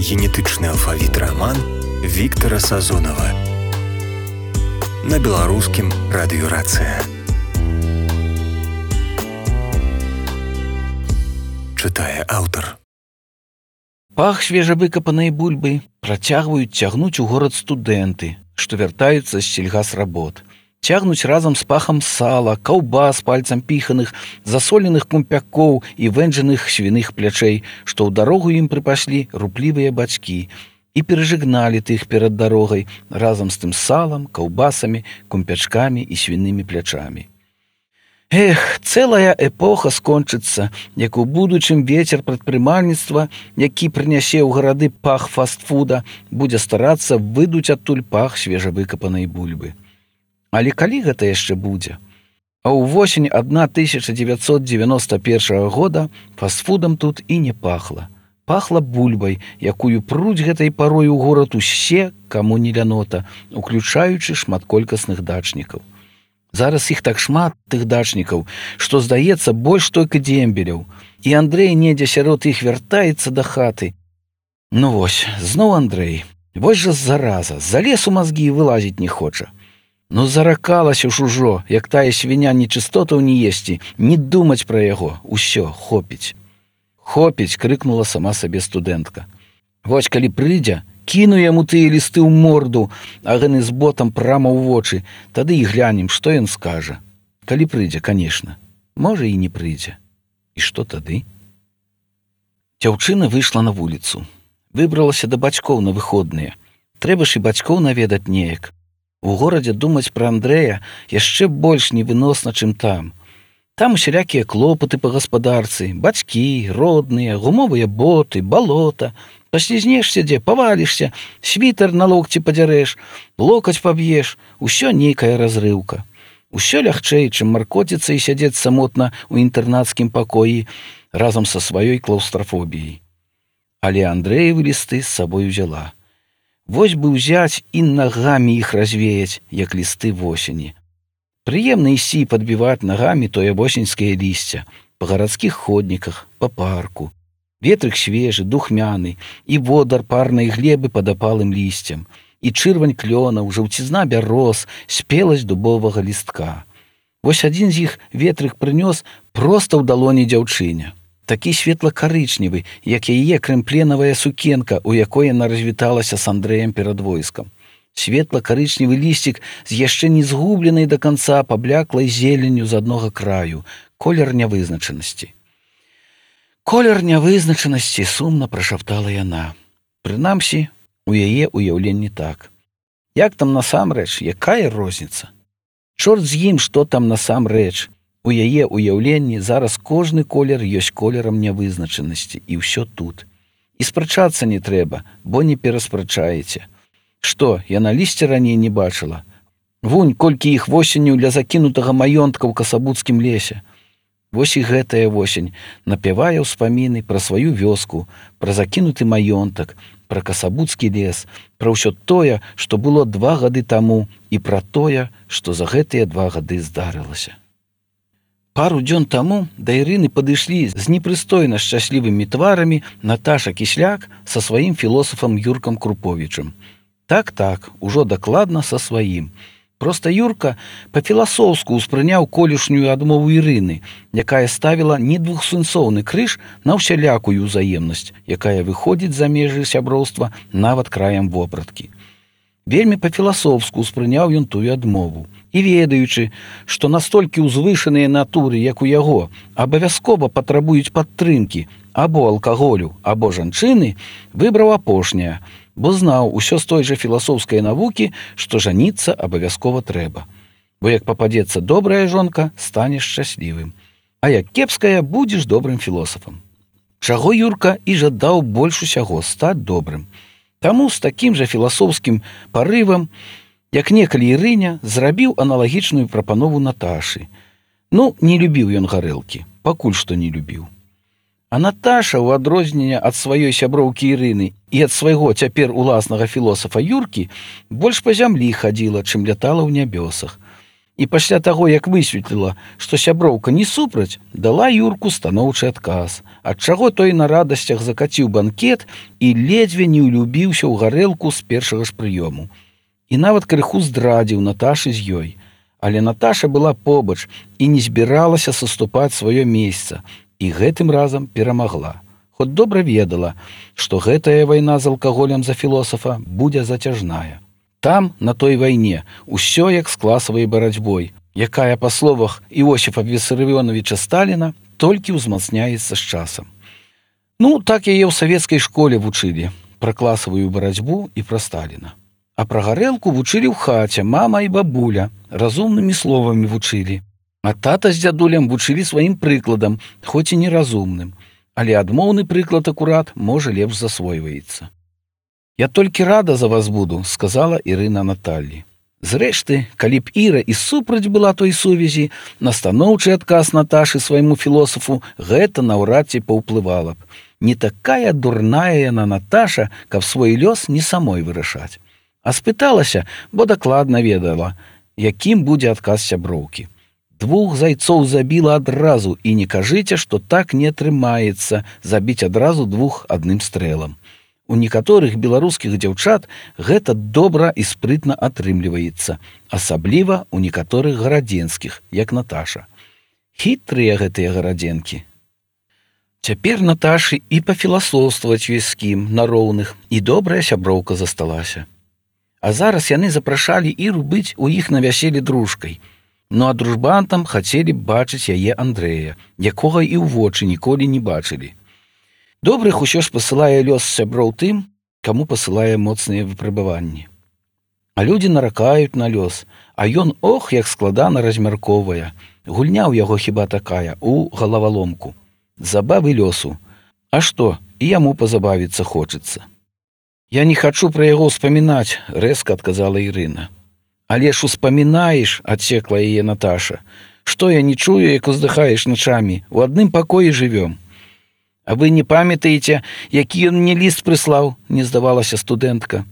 Генетычны алфавіт раман Віктара Сазонава на беларускім радыёрацыя. Чытае аўтар. Пах свежавыкапанай бульбы працягваюць цягнуць у горад студэнты, што вяртаюцца з сельгасработ. Цягнуць разам з пахам сала, каўбас пальцам піханых, засоленых кумпякоў і вэнджаных свіных плячэй, што ў дарогу ім прыпашлі руплівыя бацькі, і перажыгналі тых перад дарогай разам з тым салам, каўбасамі, кумпячкамі і свінымі плячамі. Эх, цэлая эпоха скончыцца, як у будучым вецер прадпрымальніцтва, які прынясе ў гарады пах фастфуда, будзе старацца выдуць адтуль пах свежавыкапанай бульбы. Але калі гэта яшчэ будзе? А ўвосень 1991 года фастфудам тут і не пахла. Пахла бульбай, якую пруць гэтай парой у горад усе, каму не лянота, уключаючы шматколькасных дачнікаў. Зараз іх так шмат, тых дачнікаў, што, здаецца, больш толькі дзембеляў. І Андрэй недзе сярод іх вяртаецца да хаты. Ну вось, зноў Андрэй. Вось жа зараза, залез у мазгі і вылазіць не хоча. Ну заракалася ж ужо, як тая свіня нечыстотаў не есці, не думаць пра яго. Усё, хопіць. Хопіць, крыкнула сама сабе студэнтка. Вось калі прыйдзе, кіну яму тыя лісты ў морду, а гэны з ботам прама ў вочы, тады і глянем, што ён скажа. Калі прыйдзе, канешне. Можа, і не прыйдзе. І што тады? Дзяўчына выйшла на вуліцу. Выбралася да бацькоў на выходныя. Трэба ж і бацькоў наведаць неяк. У горадзе думаць пра Андрэя яшчэ больш невыносна, чым там. Там усялякія клопаты па гаспадарцы, бацькі, родныя, гумовыя боты, балота. Паслізнешся дзе, павалішся, світар на локці падзярэш, локаць паб'еш, усё нейкая разрыўка. Усё лягчэй, чым маркоціцца і сядзець самотна ў інтэрнацкім пакоі разам са сваёй клаўстрафобіяй. Але Андрэевы лісты з сабой узяла. Вось бы ўзяць і нагамі іх развеяць, як лісты восені. Прыемна ісці і падбіваць нагамі тое восеньскае лісце па гарадскіх ходніках, па парку. Ветрык свежы, духмяны, і водар парнай глебы пад апалым лісцем, і чырвань клёнаў, жаўцізна бяроз, спеласць дубовага лістка. Вось адзін з іх ветрык прынёс проста ў далоні дзяўчыне. Такі светла-карычневы, як яе крэмпленавая сукенка, у якой яна развіталася з Андрэем перад войскам. Светла-карычневы лісцік з яшчэ не згубленай да канца пабляклай зеленню з аднога краю, колер нявызначанасці. Колер нявызначанасці, сумна прашаптала яна. Прынамсі, у яе ўяўленні так. Як там насамрэч, якая розніца? Чорт з ім, што там насамрэч. У яе ўяўленні зараз кожны колер ёсць колерам нявызначанасці, і ўсё тут. І спрачацца не трэба, бо не пераспрачаеце. Што, яна лісця раней не бачыла? Вунь, колькі іх восенню ля закінутага маёнтка ў касабуцкім лесе. Вось і гэтая восень напявае ўспаміны пра сваю вёску, пра закінуты маёнтак, пра касабуцкі лес, пра ўсё тое, што было 2 гады таму, і пра тое, што за гэтыя 2 гады здарылася. Пару дзён таму да Ірыны падышлі з непрыстойна шчаслівымі тварамі Наташа Кісляк са сваім філосафам Юркам Круповічам. Так, ужо дакладна са сваім. Проста Юрка па-філасофску ўспрыняў колішнюю адмову Ірыны, якая ставіла не двухсэнсоўны крыж на ўсялякую ўзаемнасць, якая выходзіць за межы сяброўства нават краем вопраткі. Вельмі па-філасофску ўспрыняў ён тую адмову. І ведаючы, што настолькі ўзвышаныя натуры, як у яго, абавязкова патрабуюць падтрымкі або алкаголю, або жанчыны, выбраў апошняе, бо знаў усё з той жа філасофскай навукі, што жаніцца абавязкова трэба. Бо як пападзецца добрая жонка, станеш шчаслівым. А як кепская, будзеш добрым філосафам. Чаго Юрка і жадаў больш усяго стаць добрым. Таму з такім жа філасофскім парывам, як некалі Ірыня, зрабіў аналагічную прапанову Наташы. Ну, не любіў ён гарэлкі, пакуль што не любіў. А Наташа, у адрозненне ад сваёй сяброўкі Ірыны і ад свайго цяпер уласнага філосафа Юркі, больш па зямлі хадзіла, чым лятала ў нябёсах. І пасля таго, як высветліла, што сяброўка не супраць, дала Юрку станоўчы адказ, ад чаго той на радасцях закаціў банкет і ледзьве не ўлюбіўся ў гарэлку з першага ж прыёму. І нават крыху здрадзіў Наташы з ёй. Але Наташа была побач і не збіралася саступаць сваё месца, і гэтым разам перамагла. Хоць добра ведала, што гэтая вайна з алкаголем за філосафа будзе зацяжная. Там, на той вайне, усё як з класавай барацьбой, якая, па словах Іосіфа Вісарыёнавіча Сталіна, толькі ўзмацняецца з часам. Ну, так яе ў савецкай школе вучылі пра класавую барацьбу і пра Сталіна. А пра гарэлку вучылі ў хаце мама і бабуля, разумнымі словамі вучылі. А тата з дзядулем вучылі сваім прыкладам, хоць і неразумным. Але адмоўны прыклад акурат, можа, лепш засвойваецца. «Я толькі рада за вас буду», — сказала Ірына Наталлі. Зрэшты, калі б Іра і супраць была той сувязі, на станоўчы адказ Наташы свайму філосафу гэта наўрад ці паўплывала б. Не такая дурная яна Наташа, каб свой лёс не самой вырашаць. А спыталася, бо дакладна ведала, якім будзе адказ сяброўкі. Двух зайцоў забіла адразу, і не кажыце, што так не атрымаецца забіць адразу двух адным стрэлам. У некаторых беларускіх дзяўчат гэта добра і спрытна атрымліваецца, асабліва ў некаторых гарадзенскіх, як Наташа. Хітрыя гэтыя гарадзенкі. Цяпер Наташы і пафіласофстваваць ёсць з кім на роўных, і добрая сяброўка засталася. А зараз яны запрашалі Іру быць у іх на вяселлі дружкай. Ну а дружбантам хацелі б бачыць яе Андрэя, якога і ў вочы ніколі не бачылі. Добрых усё ж пасылае лёс сяброў тым, каму пасылае моцныя выпрабаванні. А людзі наракаюць на лёс, а ён ох, як складана размяркоўвае. Гульня ў яго хіба такая, у галаваломку. Забавы лёсу. А што, і яму пазабавіцца хочацца. «Я не хачу пра яго ўспамінаць», — рэзка адказала Ірына. «Але ж успамінаеш», — адсекла яе Наташа. «Што я не чую, як уздыхаеш начамі? У адным пакоі жывём». «А вы не памятаеце, які ён мне ліст прыслаў?» — не здавалася студэнтка.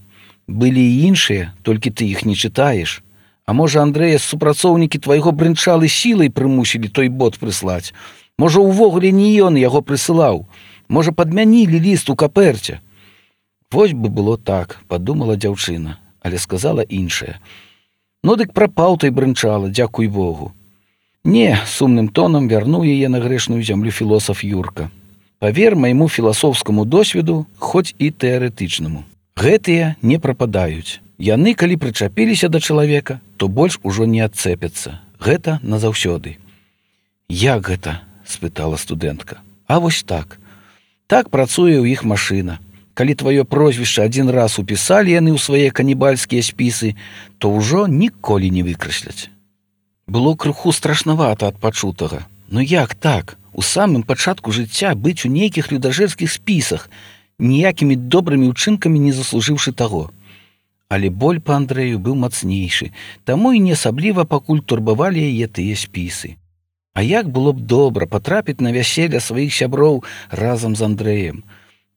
«Былі і іншыя, толькі ты іх не чытаеш. А можа, Андрэя, супрацоўнікі твайго брынчалы сілай прымусілі той бот прыслаць? Можа, увогуле не ён яго прысылаў? Можа, падмянілі ліст у капэрце?» «Вось бы было так», — падумала дзяўчына, але сказала іншае. «Ну дык прапаў той брынчала, дзякуй Богу». «Не», — сумным тонам вярнуў яе на грэшную зямлю філосаф Юрка. «Павер майму філасофскаму досведу, хоць і тэарэтычнаму. Гэтыя не прападаюць. Яны, калі прычапіліся да чалавека, то больш ужо не адцэпяцца. Гэта назаўсёды». «Як гэта?» — спытала студэнтка. «А вось так. Так працуе ў іх машына. Калі тваё прозвішча адзін раз упісалі яны ў свае канібальскія спісы, то ўжо ніколі не выкрасляць». Было крыху страшнавата ад пачутага. Ну як так? У самым пачатку жыцця быць у нейкіх людажэрскіх спісах, ніякімі добрымі ўчынкамі не заслужыўшы таго. Але боль па Андрэю быў мацнейшы, таму і не асабліва пакуль турбавалі яе тыя спісы. А як было б добра патрапіць на вяселле сваіх сяброў разам з Андрэем?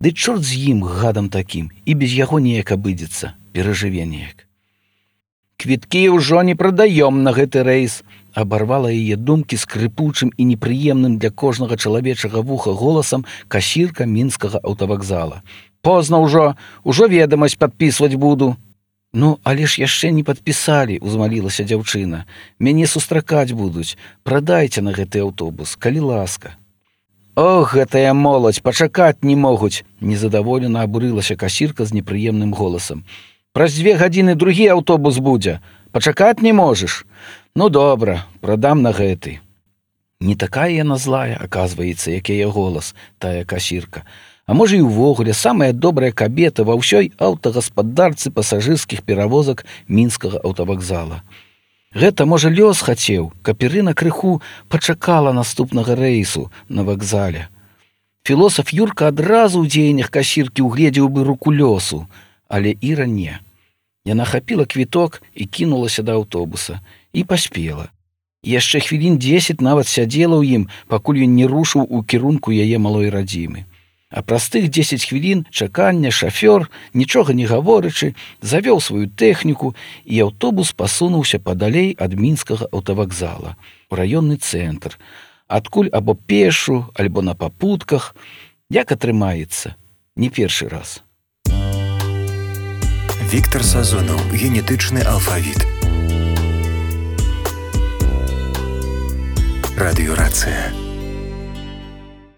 Ды чорт з ім, гадам такім, і без яго неяк абыдзецца, перажыве неяк. «Квіткі ўжо не прадаём на гэты рэйс», — абарвала яе думкі скрыпучым і непрыемным для кожнага чалавечага вуха голасам касірка мінскага аўтавакзала. «Позна ўжо ведамасць падпісваць буду». «Ну, але ж яшчэ не падпісалі», — узмалілася дзяўчына. «Мяне сустракаць будуць. Прадайце на гэты аўтобус, калі ласка». «Ох, гэтая моладзь, пачакаць не могуць», — незадаволена абурылася касірка з непрыемным голасам. «Праз 2 гадзіны другі аўтобус будзе. Пачакаць не можаш? Ну, добра, прадам на гэты». Не такая яна злая, аказваецца, як яе голас, тая касірка. А можа, і ўвогуле самая добрая кабета ва ўсёй аўтагаспадарцы пасажырскіх перавозак мінскага аўтавакзала. Гэта, можа, лёс хацеў, каб Ірына крыху пачакала наступнага рэйсу на вакзале. Філосаф Юрка адразу ў дзеяннях касіркі угледзеў бы руку лёсу, але Іра не. Яна хапіла квіток і кінулася да аўтобуса. І паспела. Яшчэ хвілін 10 нават сядзела ў ім, пакуль ён не рушыў у кірунку яе малой радзімы. А праз тых 10 хвілін чакання шафёр, нічога не гаворачы, завёў сваю тэхніку, і аўтобус пасунуўся падалей ад мінскага аўтавакзала, у раённы цэнтр, адкуль або пешу, альбо на папутках, як атрымаецца, не першы раз. Віктар Сазонаў, генетычны алфавіт. Радыёрацыя.